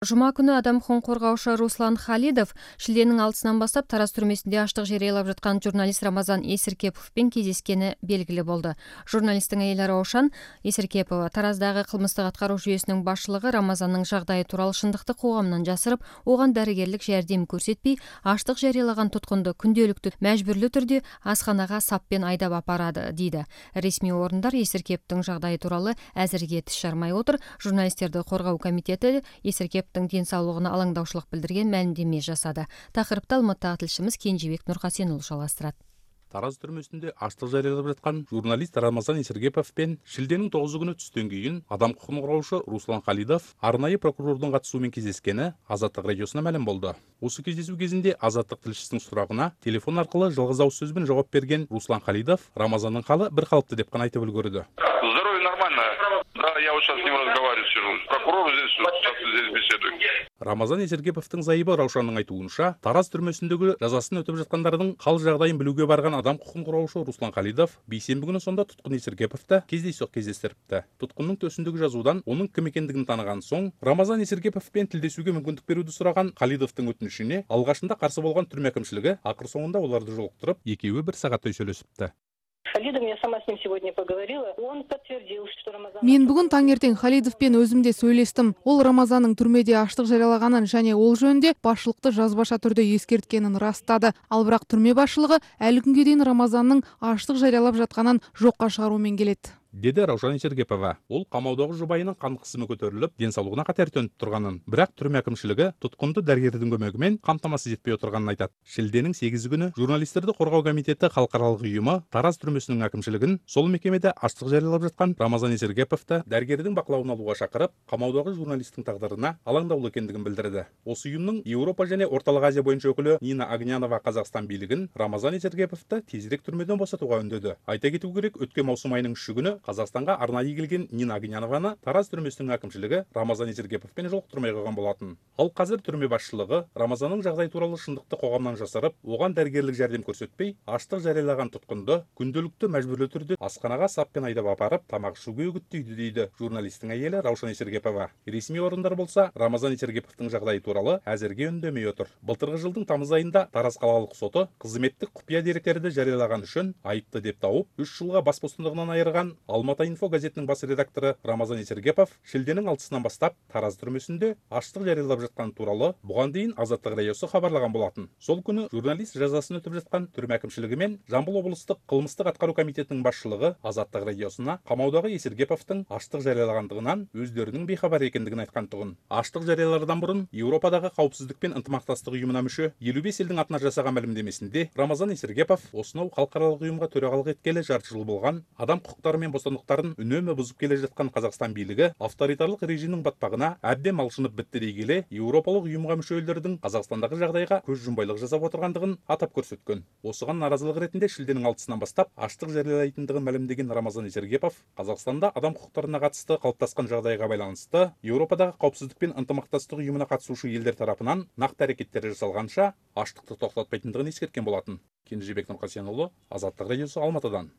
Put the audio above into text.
Жума күнү адам укугун коргоочу Руслан Халидов шилденин 6-сынан баштап Тараз түрмөсүндө аштык жарыялап жаткан журналист Рамазан Эсиркеповден кездескени белгилүү болду. Журналисттин айылы Раушан Эсиркепова Тараздагы кылмыстык аткаруу жүйөсүнүн башчылыгы Рамазандын жагдайы тууралуу шындыкты коомдон жасырып, оган дарыгерлик жардам көрсөтпөй, аштык жарыялаган туткунду күндөлүктүү мажбүрлүү түрдө асханага саппен айдап апарады дейди. Ресмий орундар Эсиркеповдун жагдайы тууралуу азырге тиш жармай отур. Журналисттерди коргоо комитети Эсиркеповдун ден соолугуна алаңдаушылык билдирген маалимдеме жасады. Такырыпты Алматтагы тилшимиз Кенжебек Нуркасен уулу жалгастырат. Тараз түрмөсүндө аштык жарыялап жаткан журналист Рамазан Эсиркепов менен шилденин 9 күнү түстөн кийин адам укугун коргоочу Руслан Халидов арнайы прокурордун катышуусу менен кездескени Азаттык радиосуна маалым болду. Осы кездесүү кезинде Азаттык тилчисинин сурагына телефон аркылуу жалгыз ауыз сөз менен жооп берген Руслан Халидов Рамазандын калы бир калыптуу деп гана айтып үлгөрдү. Здоровье нормально. Да, я вот сейчас с ним разговариваю, сижу. Прокурор здесь, сейчас здесь беседуем. Рамазан Эсиркеповдун зайыбы Раушанның айтуунча, Тараз түрмөсүндөгү жазасын өтөп жаткандардын кал жагдайын билүүгө барган адам укугун коргоочу Руслан Халидов бейсенби күнү сонда туткун Эсиркеповду кездейсөк кездестирипти. Туткундун төсүндөгү жазуудан онун ким экендигин тааныган соң, Рамазан Эсиркепов менен тилдешүүгө мүмкүндүк берүүдү сураган Халидовдун өтүнүшүнө алгачында каршы болгон түрмө әкимчилиги акыр соңунда оларды жолуктуруп, экөөбү 1 сааттай сүйлөшүптү. Халидов, я сама с ним сегодня поговорила. Он подтвердил, что Рамазан... Мен бүгүн таңертең Халидовпен өзүмдө сүйлөштүм. Ол Рамазанның түрмөдө аштык жарыялаганын жана ол жөнүндө башчылыкты жазбаша түрдө эскерткенин ырастады. Ал бирок түрмө башчылыгы әлі күнгө дейин Рамазанның аштык жарыялап жатканын жокко чыгаруу менен келет, деди Раушан Эсиркепова. Ол камаудагы жубайынын кан кысымы көтөрүлүп, ден соолугуна катер төнүп турганын, бирок түрмө әкимчилиги туткунду дарыгердин көмөгү менен камтамасыз этпей отурганын айтат. Шилденин 8 күнү журналисттерди коргоо комитети калкаралык уюму Тараз түрмөсүнүн әкимчилигин сол мекемеде аштык жарыялап жаткан Рамазан Эсиркеповду дарыгердин бакылауына алууга чакырып, камаудагы журналисттин тагдырына алаңдаулуу экендигин билдирди. Осы уюмдун Европа жана Ортолук Азия боюнча өкүлү Нина Огнянова Казакстан бийлигин Рамазан Эсиркеповду тезирээк түрмөдөн босотууга үндөдү. Айта кетүү керек, өткөн маусум айынын 3-күнү Казакстанга арнайы келген Нина Огнянованы Тараз түрмөсүнүн әкимчилиги Рамазан Эсиркепов менен жолуктурмай койгон болотун. Ал казыр түрмө башчылыгы Рамазандын жагдайы тууралуу шындыкты коомдон жасырып, оган дарыгерлик жардам көрсөтпөй, аштык жарыялаган туткунду күндөлүктүү мажбүрлүү түрдө асханага саппен айдап апарып, тамак ішүүгө үгүттөйдү дейди журналисттин айылы Раушан Эсиркепова. Ресмий орундар болсо Рамазан Эсиркеповдун жагдайы тууралуу азырге үндөмөй отур. Былтыркы жылдын тамыз айында Тараз калалык соту кызметтик купуя деректерди жарыялаган үчүн айыпты деп тауып, 3 жылга бас бостондугунан айырган Алматы инфо газетинин бас редактору Рамазан Эсиркепов шилденин 6-сынан баштап Тараз түрмөсүндө аштык жарыялап жаткан тууралуу буга дейин Азаттык радиосу кабарлаган болотун. Сол күнү журналист жазасын өтөп жаткан түрмө әкимчилиги менен Жамбыл облустук кылмыстык аткаруу комитетинин башчылыгы Азаттык радиосуна камаудагы Эсиркеповдун аштык жарыялагандыгынан өздөрүнүн бейхабар экендигин айткантыгын. Аштык жарыялардан бурун Европадагы каупсуздук менен ынтымактастык уюмуна мүчө 55 элдин атына жасаган маалимдемесинде Рамазан Эсиркепов осуноу калкаралык уюмга төрагалык эткеле жарты жыл болгон, адам укуктары менен бостондуктарын үнөмө бузуп келе жаткан Казакстан бийлиги авторитарлык режимдин батпагына абден малчынып битти дей келе Европалык уюмга мүчө элдердин Казакстандагы жагдайга көз жумбайлык жасап отургандыгын атап көрсөткөн. Осуга наразылык иретинде шилденин 6-сынан баштап аштык жарыялайтындыгын маалимдеген Рамазан Эсиркепов Казакстанда адам укуктарына катысты калыптаскан жагдайга байланыштуу Европадагы каупсуздук менен ынтымактастык уюмуна катышуучу элдер тарапынан накты аракеттер жасалганча аштыкты токтотпойтундугун эскерткен болотун. Кенжебек Нуркасен уулу, Азаттык радиосу, Алматыдан.